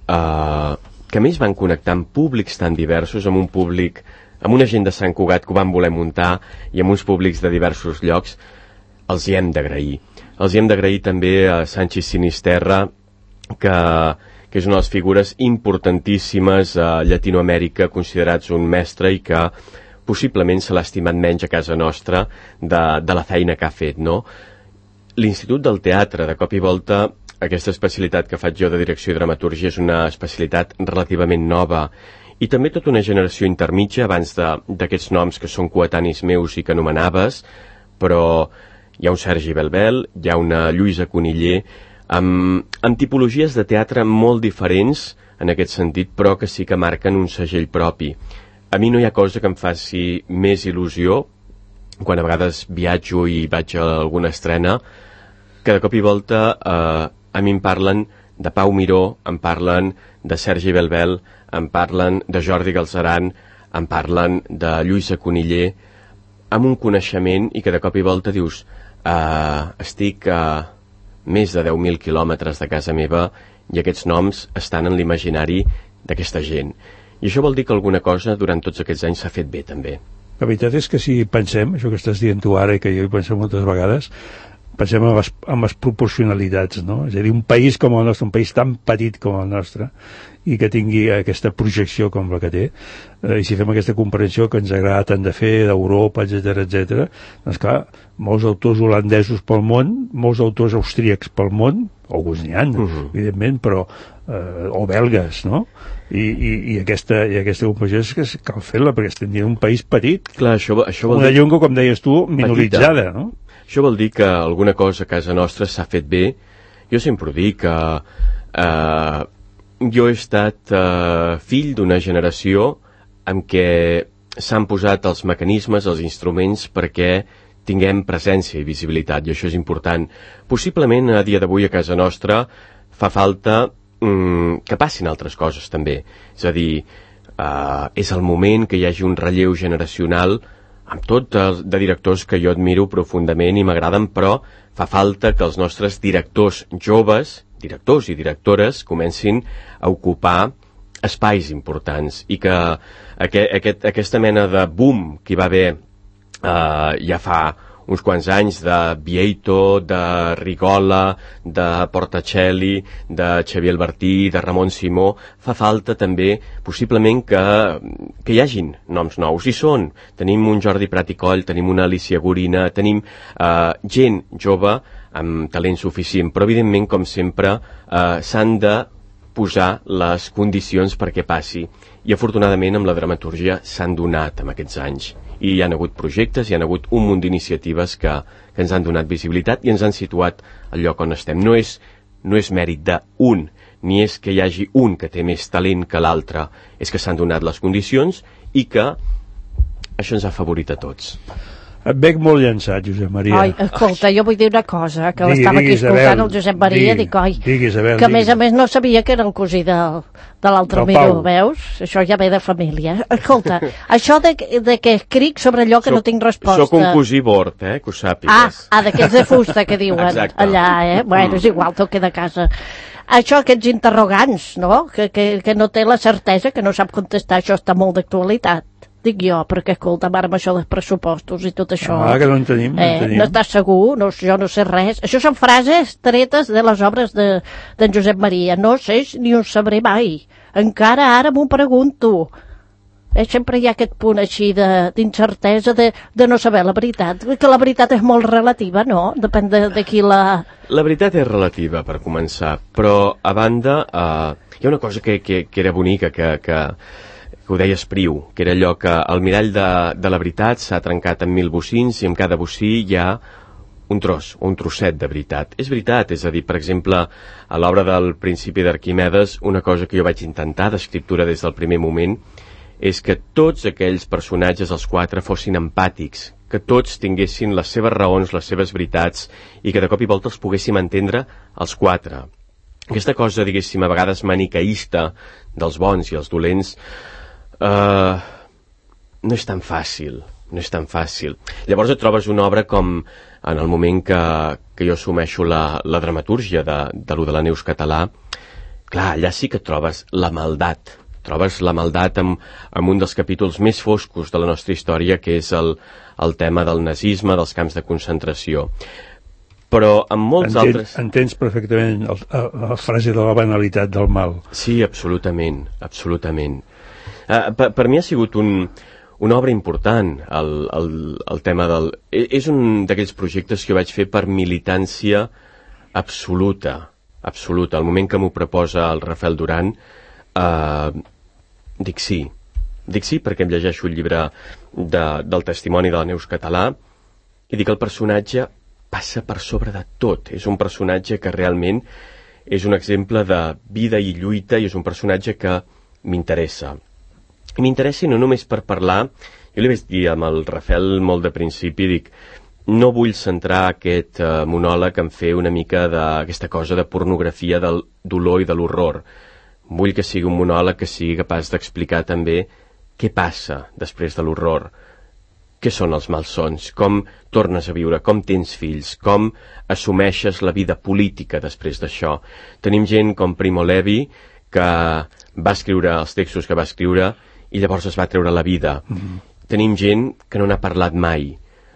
que més van connectar amb públics tan diversos, amb un públic, amb una gent de Sant Cugat que ho van voler muntar i amb uns públics de diversos llocs, els hi hem d'agrair. Els hi hem d'agrair també a Sanchis Sinisterra, que és una de les figures importantíssimes a Llatinoamèrica, considerats un mestre i que possiblement se l'ha estimat menys a casa nostra de la feina que ha fet, no? L'Institut del Teatre, de cop i volta, aquesta especialitat que faig jo de direcció i dramatúrgia és una especialitat relativament nova i també tota una generació intermitja abans d'aquests noms que són coetanis meus i que anomenaves, però hi ha un Sergi Belbel, hi ha una Lluïsa Coniller, amb tipologies de teatre molt diferents en aquest sentit, però que sí que marquen un segell propi. A mi no hi ha cosa que em faci més il·lusió quan a vegades viatjo i vaig a alguna estrena, que de cop i volta a mi em parlen de Pau Miró, em parlen de Sergi Belbel, em parlen de Jordi Galceran, em parlen de Lluïsa Coniller, amb un coneixement i que de cop i volta dius estic a més de 10.000 quilòmetres de casa meva i aquests noms estan en l'imaginari d'aquesta gent. I això vol dir que alguna cosa durant tots aquests anys s'ha fet bé, també. La veritat és que si pensem, això que estàs dient tu ara i que jo hi penso moltes vegades, pensem en les proporcionalitats, no? És a dir, un país com el nostre, un país tan petit com el nostre, i que tingui aquesta projecció com la que té, i si fem aquesta comprensió que ens agrada tant de fer d'Europa, etc, doncs clar, molts autors holandesos pel món, molts autors austríacs pel món, alguns n'hi ha, evidentment, però o belgues, no? I aquesta comprensió és que cal fer-la, perquè estem dient un país petit, clar, això vol una dir... llengua, com deies tu, minoritzada, no? Això vol dir que alguna cosa a casa nostra s'ha fet bé. Jo sempre ho dic, que jo he estat fill d'una generació en què s'han posat els mecanismes, els instruments perquè tinguem presència i visibilitat, i això és important. Possiblement a dia d'avui a casa nostra fa falta que passin altres coses també. És a dir, és el moment que hi hagi un relleu generacional amb tot de directors que jo admiro profundament i m'agraden, però fa falta que els nostres directors joves, directors i directores, comencin a ocupar espais importants i que aquesta mena de boom que hi va haver ja fa uns quants anys de Vieito, de Rigola, de Portacelli, de Xavier Albertí, de Ramon Simó, fa falta també possiblement que hi hagin noms nous. I són, tenim un Jordi Prat i Coll, tenim una Alicia Gorina, tenim gent jove amb talent suficient, però evidentment, com sempre, s'han de posar les condicions perquè passi. I afortunadament amb la dramatúrgia s'han donat en aquests anys. I hi ha hagut projectes, hi ha hagut un munt d'iniciatives que ens han donat visibilitat i ens han situat al lloc on estem. No és mèrit d'un, ni és que hi hagi un que té més talent que l'altre, és que s'han donat les condicions i que això ens ha favorit a tots. Et veig molt llançat, Josep Maria. Ai, escolta, jo vull dir una cosa, que l'estava aquí escoltant el Josep Maria, dic, oi, que a més no sabia que era el cosí de l'altre Miró, veus? Això ja ve de família. Escolta, això de que escric sobre allò que no tinc resposta... Soc un cosí bord, que ho sàpigues. D'aquests de fusta que diuen allà, Bueno, és igual, tot queda a casa. Això, aquests interrogants, no? Que no té la certesa, que no sap contestar, això està molt d'actualitat. Dic jo, perquè escolta, ara amb això dels pressupostos i tot això... que no en tenim, no estàs segur, jo no sé res. Això són frases tretes de les obres d'en Josep Maria. No sé ni ho sabré mai. Encara ara m'ho pregunto. Sempre hi ha aquest punt així d'incertesa, de no saber la veritat. Que la veritat és molt relativa, no? Depèn de qui la... La veritat és relativa, per començar, però a banda hi ha una cosa que era bonica, que ho deia Espriu, que era allò que el mirall de la veritat s'ha trencat en 1000 bocins i en cada bocí hi ha un tros o un trosset de veritat. És veritat, és a dir, per exemple, a l'obra del Principi d'Arquimedes, una cosa que jo vaig intentar d'escriptura des del primer moment és que tots aquells personatges, els 4, fossin empàtics, que tots tinguessin les seves raons, les seves veritats, i que de cop i volta els poguéssim entendre els 4. Aquesta cosa, diguéssim, a vegades maniqueista dels bons i els dolents, no és tan fàcil, Llavors et trobes una obra com en el moment que jo assumeixo la dramatúrgia de lo de la Neus català. Clar, allà sí que trobes la maldat trobes la maldat en un dels capítols més foscos de la nostra història, que és el tema del nazisme, dels camps de concentració. Però en molts altres... Entens perfectament la frase de la banalitat del mal. Sí, absolutament, absolutament. Per mi ha sigut una obra important, el tema del... És un d'aquells projectes que jo vaig fer per militància absoluta. Al moment que m'ho proposa el Rafael Duran, dic sí perquè em llegeixo el llibre del testimoni de la Neus Català i dic el personatge passa per sobre de tot. És un personatge que realment és un exemple de vida i lluita i és un personatge que m'interessa. I m'interessa no només per parlar, jo li vaig dir amb el Rafael molt de principi, dic, no vull centrar aquest monòleg en fer una mica d'aquesta cosa de pornografia del dolor i de l'horror. Vull que sigui un monòleg que sigui capaç d'explicar també què passa després de l'horror. Què són els malsons? Com tornes a viure? Com tens fills? Com assumeixes la vida política després d'això? Tenim gent com Primo Levi, que va escriure els textos que va escriure i llavors es va treure la vida. Tenim gent que no n'ha parlat mai.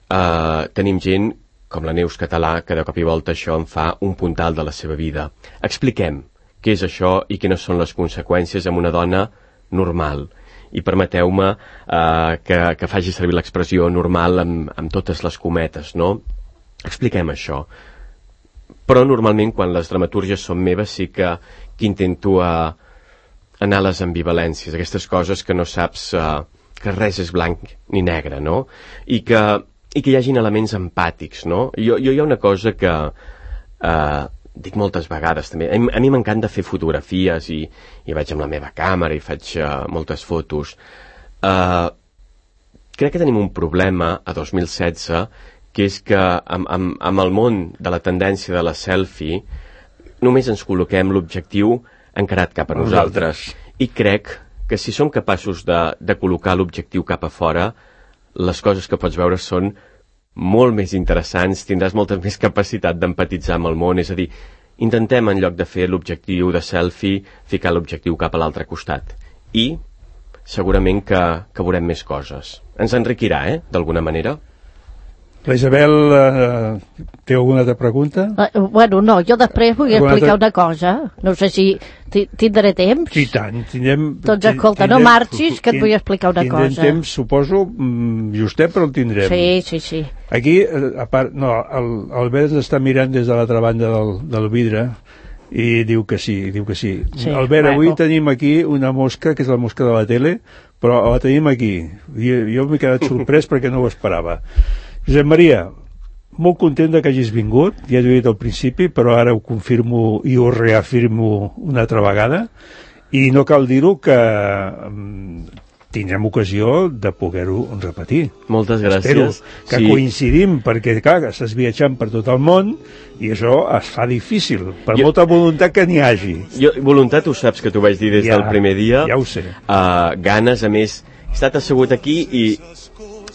Tenim gent com la Neus Català, que de cop i volta això en fa un puntal de la seva vida. Expliquem què és això i quines són les conseqüències amb una dona normal. I permeteu-me que faci servir l'expressió normal amb totes les cometes, no? Expliquem això. Però normalment quan les dramatúrgies són meves sí que intento anar a les ambivalències, aquestes coses que no saps que res és blanc ni negre, no? I que hi hagin elements empàtics, no? Jo hi ha una cosa que dic moltes vegades també, a mi m'encanta fer fotografies i vaig amb la meva càmera i faig moltes fotos. Crec que tenim un problema a 2016, que és que amb el món de la tendència de la selfie només ens col·loquem l'objectiu encarat cap a nosaltres. I crec que si som capaços de col·locar l'objectiu cap a fora, les coses que pots veure són molt més interessants, tindràs molta més capacitat d'empatitzar amb el món, és a dir, intentem en lloc de fer l'objectiu de selfie, ficar l'objectiu cap a l'altre costat. I segurament que veurem més coses. Ens enriquirà, d'alguna manera. La Isabel té alguna altra pregunta? Bueno, no, jo després vull explicar una cosa. No sé si tindré temps. I tant, tindrem... Doncs escolta, no marxis, que et vull explicar una cosa. Tindrem temps, suposo, justet, però el tindrem. Sí. Aquí, a part, no, Albert està mirant des de l'altra banda del vidre i diu que sí. Sí, Albert, avui tenim aquí una mosca, que és la mosca de la tele, però la tenim aquí. Jo m'he quedat sorprès perquè no ho esperava. Josep Maria, molt content que hagis vingut, ja t'ho he dit al principi, però ara ho confirmo i ho reafirmo una altra vegada, i no cal dir-ho que tindrem ocasió de poder-ho repetir. Moltes gràcies. Espero que coincidim, perquè clar, estàs viatjant per tot el món i això es fa difícil, per molta voluntat que n'hi hagi. Voluntat, ho saps que t'ho vaig dir des del primer dia. Ja ho sé. Ganes, a més, he estat assegut aquí i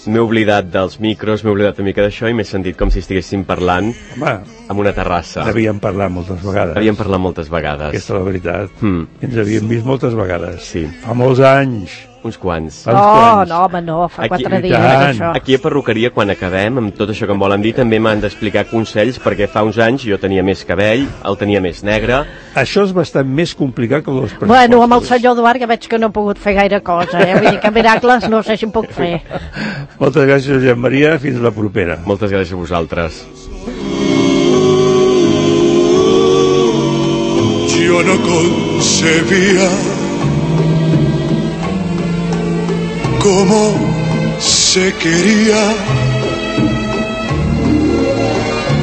m'he oblidat dels micros, m'he oblidat una mica d'això i m'he sentit com si estiguéssim parlant en una terrassa. Havíem parlat moltes vegades. Aquesta és la veritat. Ens havíem vist moltes vegades. Sí. Fa molts anys. Uns quants. No, home, no, fa 4 dies això. Aquí a perruqueria, quan acabem, amb tot això que em volen dir, també m'han d'explicar consells, perquè fa uns anys jo tenia més cabell, el tenia més negre. Això és bastant més complicat que els pressupostos. Bueno, amb el senyor Eduard ja veig que no he pogut fer gaire cosa, Vull dir que miracles no sé si em puc fer. Moltes gràcies, Josep Maria, fins la propera. Moltes gràcies a vosaltres. Yo no concebía cómo se quería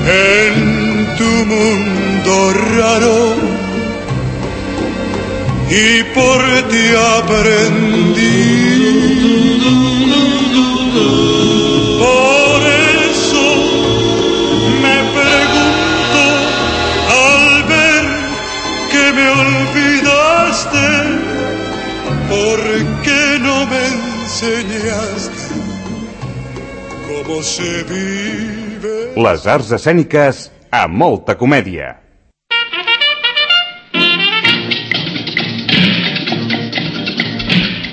en tu mundo raro y por ti aprendí. Por eso me pregunto al ver que me olvidaste, ¿por qué no me enseñaste cómo se vive? Les arts escèniques a molta comèdia.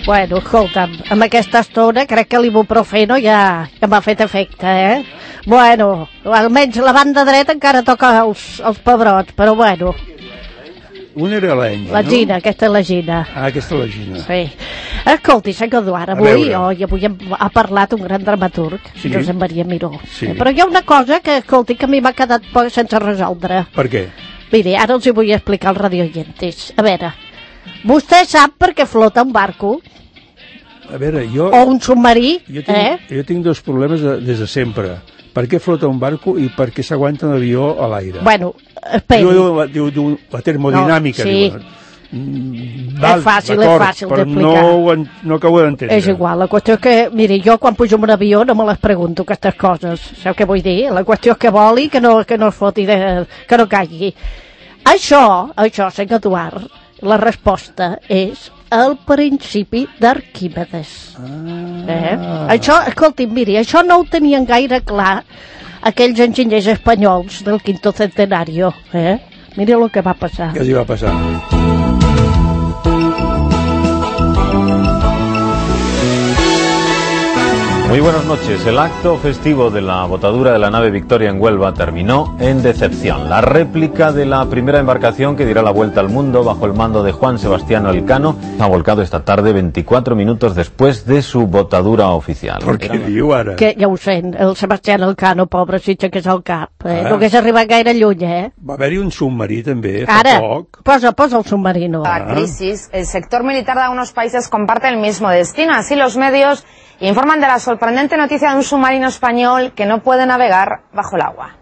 Bueno, escolta'm, amb aquesta estona crec que l'ibuprofeno ja m'ha fet efecte, Bueno, almenys la banda dreta encara toca els pebrots, però bueno. Un era l'Enyo, La Gina, aquesta és la Gina. Ah, aquesta és la Gina. Sí. Escolti, senyor Eduard, avui ha parlat un gran dramaturg, Josep Maria Miró. Sí. Però hi ha una cosa que, escolti, que a mi m'ha quedat sense resoldre. Per què? Miri, ara els hi vull explicar als radioientes. A veure, vostè sap per què flota un barco? A veure, jo... O un submarí? Jo tinc dos problemes des de sempre. Per què flota un barco i per què s'aguanta un avió a l'aire? Bueno, esperi. Diu la termodinàmica. No, sí. Val, és fàcil d'explicar. No acabo d'entendre. És igual, la qüestió és que, miri, jo quan pujo en un avió no me les pregunto, aquestes coses. Sabeu què vull dir? La qüestió és que voli, que no es foti, que no caigui. Això, senyor Eduard, la resposta és el principi d'Arquímedes. Això, escolti'm, miri, això no ho tenien gaire clar aquells enginyers espanyols del quinto centenario. Mira el que va passar. Què els hi va passar? Muy buenas noches. El acto festivo de la botadura de la nave Victoria en Huelva terminó en decepción. La réplica de la primera embarcación que dirá la vuelta al mundo bajo el mando de Juan Sebastián Elcano ha volcado esta tarde 24 minutos después de su botadura oficial. Per què diu ara? Que ja ho sent, el Sebastián Elcano, pobre, si aixequés el cap. No hagués arribat gaire lluny, Va haver-hi un submarí també, Ara, fa poc. posa el submarino. La crisis, el sector militar de algunos países comparte el mismo destino. Así los medios informan de la sorprendente noticia de un submarino español que no puede navegar bajo el agua.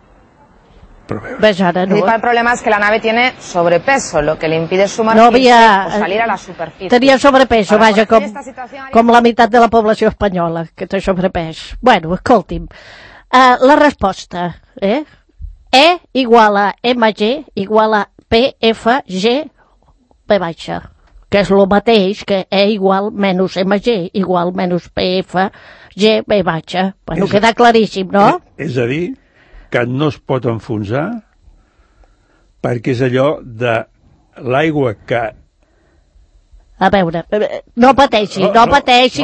Ves ara, El no? principal problema es que la nave tiene sobrepeso, lo que le impide sumergirse o salir a la superficie. Tenia sobrepeso, vaja, com la meitat de la població espanyola, que té sobrepès. Bueno, escolti'm, la resposta, E igual a MG igual a PFG P baixa, que és el mateix que E igual menys MG igual menys PFG B baixa. Bueno, queda claríssim, no? És a dir, que no es pot enfonsar perquè és allò de l'aigua que... A veure, no pateixi,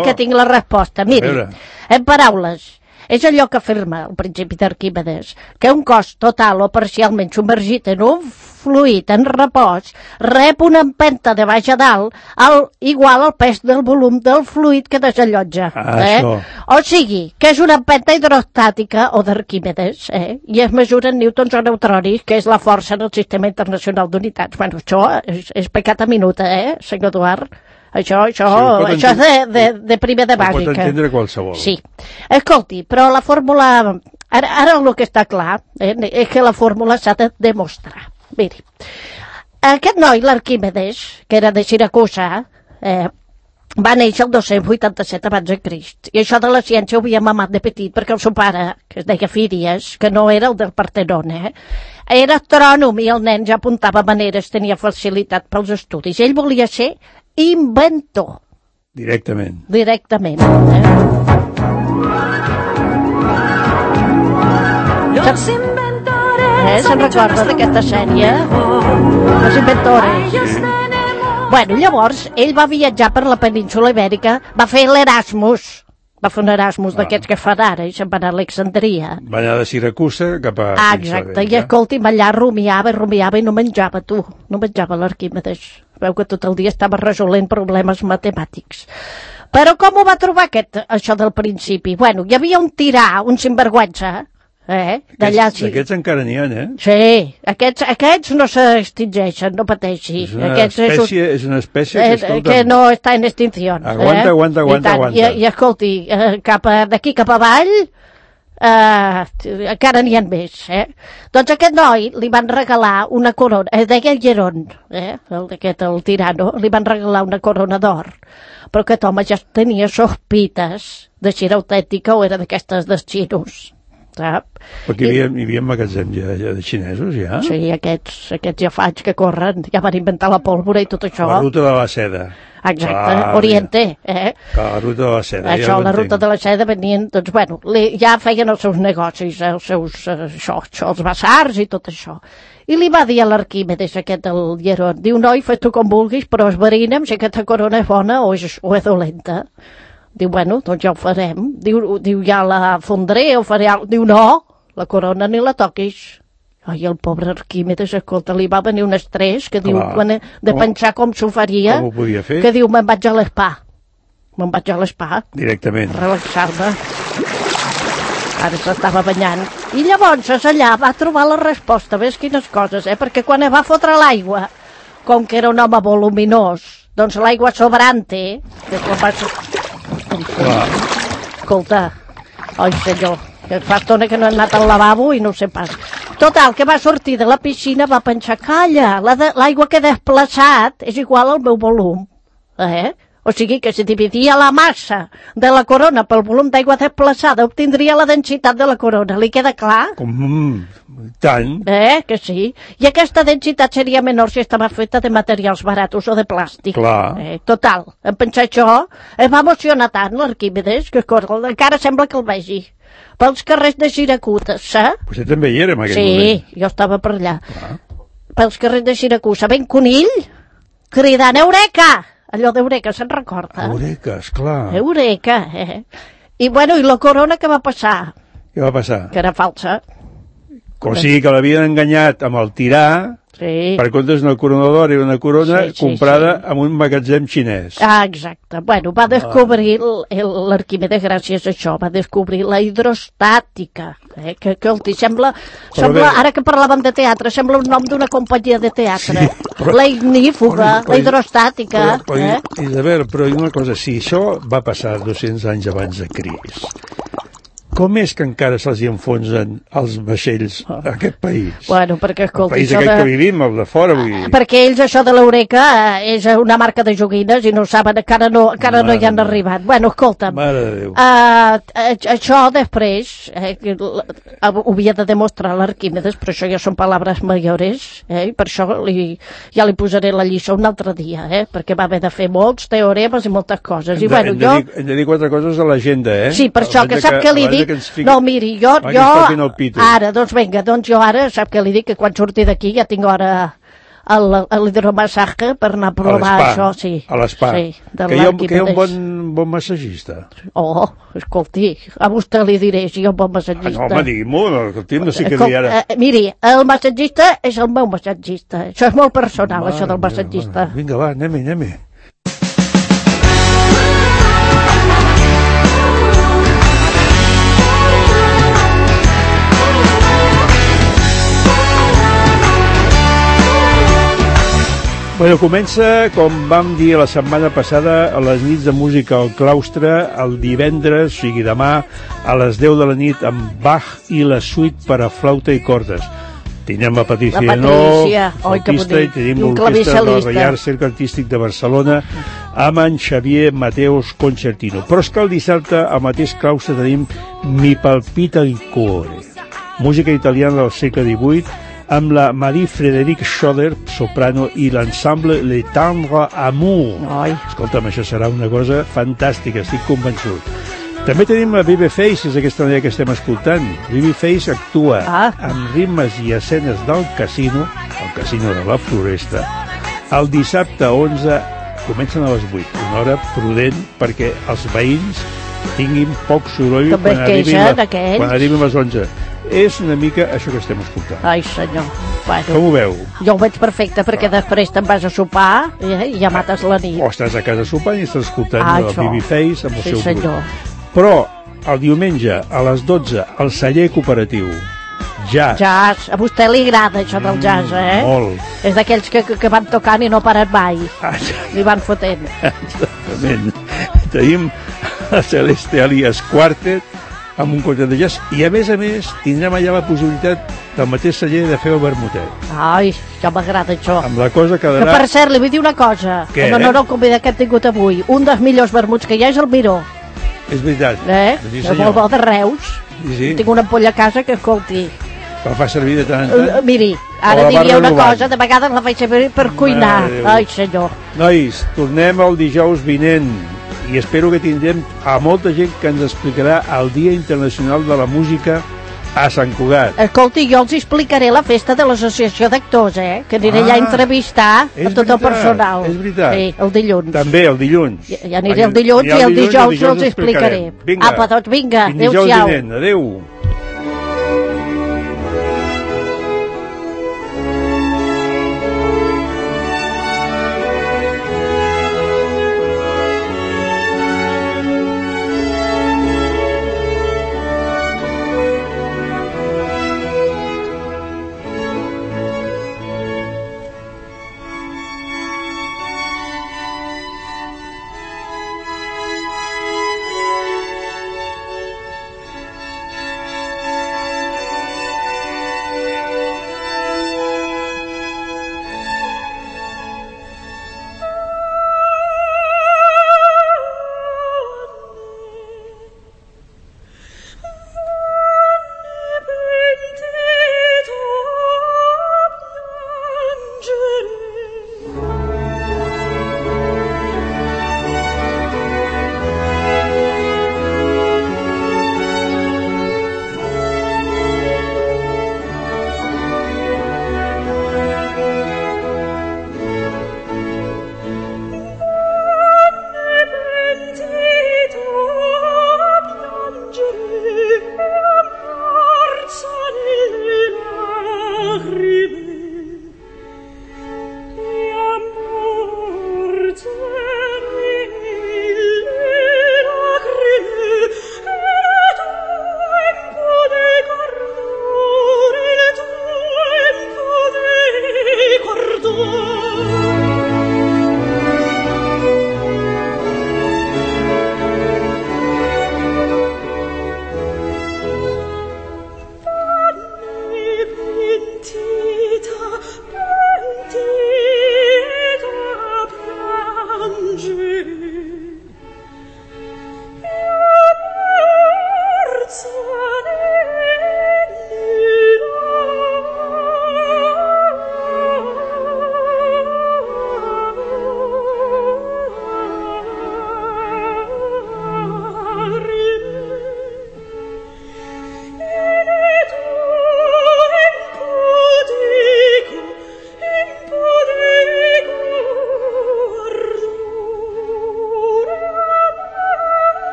que tinc la resposta. Miri, en paraules, és allò que afirma el principi d'Arquímedes, que un cos total o parcialment submergit en un fluid en repòs rep una empenta de baix a dalt igual al pes del volum del fluid que desallotja. O sigui, que és una empenta hidrostàtica o d'Arquímedes, i es mesura en newtons o neutronis, que és la força en el sistema internacional d'unitats. Bueno, això és pecat a minuta, senyor Eduard? Això és de primer de bàsica. Ho pot entendre qualsevol. Sí. Escolti, però la fórmula... Ara el que està clar és que la fórmula s'ha de demostrar. Miri, aquest noi, l'Arquímedes, que era de Siracusa, va néixer el 287 abans de Crist. I això de la ciència ho havia mamat de petit, perquè el seu pare, que es deia Fídies, que no era el del Partenon, era astrònom i el nen ja apuntava maneres, tenia facilitat pels estudis. Ell volia ser inventor. Directament. Se'n recorda d'aquesta sèrie? Los inventores. Bueno, llavors, ell va viatjar per la península Ibèrica, va fer l'Erasmus, va fer un Erasmus d'aquests que fan ara, i se'n va anar a Alexandria. Va anar de Siracusa cap a... Exacte, i escolti'm, allà rumiava i no menjava, no menjava l'Arquímedes. Veu que tot el dia estava resolent problemes matemàtics. Però com ho va trobar això del principi? Bueno, hi havia un tirà, un sinvergüenza, D'aquests encara n'hi ha, Sí, aquests no s'extingeixen, no pateixi. És una espècie que no està en extinció. Aguanta. I escolti, d'aquí cap avall encara n'hi ha més. Doncs aquest noi li van regalar una corona, es deia Lleron, el tirano, li van regalar una corona d'or, però aquest home ja tenia sospites de si era autèntica o era d'aquestes dels xinos. Perquè hi havia magatzems ja de xinesos, ja? Sí, aquests ja faig que corren, ja van inventar la pólvora i tot això. La ruta de la seda. Exacte, Oriente, Que la ruta de la seda. Això, la ruta de la seda venien, doncs, bueno, ja feien els seus negocis, els seus, els basars i tot això. I li va dir a l'Arquímedes, aquest del Hierón, diu, noi, fes tu com vulguis, però esberina'm si aquesta corona és bona o és dolenta. Diu, bueno, doncs ja ho farem. Diu ja la fondré o faré alguna cosa. Diu, no, la corona ni la toquis. Ai, el pobre Arquímedes, escolta, li va venir un estrès que diu, de pensar com s'ho faria, com ho podia fer? Que diu, me'n vaig a l'espa. Me'n vaig a l'espa. Directament. Relaxar-me. Ara s'estava banyant. I llavors allà va trobar la resposta, ves quines coses, perquè quan va fotre l'aigua, com que era un home voluminós, doncs l'aigua sobrante, que va... Escolta, oi senyor, que fa estona que no he anat al lavabo i no ho sé pas. Total, que va sortir de la piscina, va pensar, calla, l'aigua que he desplaçat és igual al meu volum. O sigui que si dividia la massa de la corona pel volum d'aigua desplaçada, obtindria la densitat de la corona. Li queda clar? Tant. Que sí. I aquesta densitat seria menor si estava feta de materials baratos o de plàstic. Clar. Total, en pensar això, es va emocionar tant l'Arquímedes, que encara sembla que el vegi. Pels carrers de Siracusa, saps? Vostè també hi era en aquell moment. Sí, jo estava per allà. Pels carrers de Siracusa, ben conill, cridant, Eureka! Allò d'Eureka, se'n recorda? Eureka, esclar. Eureka, I bueno, i la corona què va passar? Què va passar? Que era falsa. O sigui que l'havien enganyat amb el tirà, per comptes d'una corona d'or i una corona comprada en un magatzem xinès. Exacte. Bueno, va descobrir l'Arquímedes gràcies a això, va descobrir la hidrostàtica. Que sembla, ara que parlàvem de teatre, sembla un nom d'una companyia de teatre. La ignífuga, la hidrostàtica. Isabel, però una cosa, si això va passar 200 anys abans de Crist, com és que encara se'ls enfonsen els vaixells a aquest país? Bueno, perquè, escolta... El país aquest que vivim, el de fora, vull dir... Perquè ells, això de l'Eureka, és una marca de joguines i no saben, encara no hi han arribat. Bueno, escolta'm... Mare de Déu. Això després, ho havia de demostrar l'Arquímedes, però això ja són paraules mayores, i per això ja li posaré la lliçó un altre dia, perquè va haver de fer molts teoremes i moltes coses. Hem de dir 4 coses a l'agenda, Sí, per això, que sap què li dic? No, miri, jo ara, doncs vinga, doncs jo ara, sap què li dic? Que quan surti d'aquí ja tinc hora l'hidromassatge per anar a provar això, sí. A l'espa. Sí, que hi ha un bon massagista. Escolti, a vostè li diré si hi ha un bon massagista. No, home, digui-m'ho, no sé què dir ara. Miri, el massatgista és el meu massatgista. Això és molt personal, això del massatgista. Vinga, va, anem-hi. Bueno, comença, com vam dir la setmana passada, a les nits de música al claustre, el divendres, o sigui demà, a les 10 de la nit, amb Bach i la suite per a flauta i cordes. Tenim la Patricia Llenó, flautista, i tenim l'orquestra del Reial Cercle Artístic de Barcelona, amb en Xavier Mateos Concertino. Però és que el dissabte, al mateix claustre, tenim Mi palpita il cuore, música italiana del segle XVIII, amb la Marie-Frédérique Schoder, soprano, i l'ensemble Le Tendre Amour. Escolta'm, això serà una cosa fantàstica, estic convençut. També tenim la Babyface, és aquesta manera que estem escoltant. Babyface actua amb ritmes i escenes del casino, el casino de la Floresta. El dissabte 11 comencen a les 8, una hora prudent perquè els veïns tinguin poc soroll quan arribin les 11. És una mica això que estem escoltant. Ai, senyor. Bueno, com ho veu? Jo ho veig perfecte, perquè després te'n vas a sopar i ja mates la nit. O estàs a casa sopant i estàs escoltant la Babyface amb el seu grup. Senyor. Però el diumenge a les 12 al celler cooperatiu, jazz. Jazz. A vostè li agrada això del jazz, Molt. És d'aquells que van tocant i no paren mai. Li van fotent. Exactament. Tenim a Celeste Alias Quartet amb un concert de jazz, i a més tindrem allà la possibilitat del mateix celler de fer el vermutet. Ai, ja m'agrada això. Amb la cosa quedarà... Que per cert, li vull dir una cosa. Què? En honor al convidat que hem tingut avui, un dels millors vermuts que hi ha és el Miró. És veritat. És molt bo, de Reus. Sí. Tinc una ampolla a casa que, escolti, La fa servir de tant en tant? Miri, ara O la va diria una renovant? cosa, de vegades la faig servir per cuinar. Mare de Déu. Ai, senyor. Nois, tornem el dijous vinent i espero que tindrem a molta gent que ens explicarà el Dia Internacional de la Música a Sant Cugat. Escolti, jo els explicaré la festa de l'Associació d'Actors, que aniré allà a entrevistar és a tot el veritat, personal. és veritat. Sí, el dilluns. També el dilluns. Ja aniré el dilluns i el dijous els explicaré. Vinga, Apa, doncs vinga, fins dijous adéu-siau. vinent. Adéu.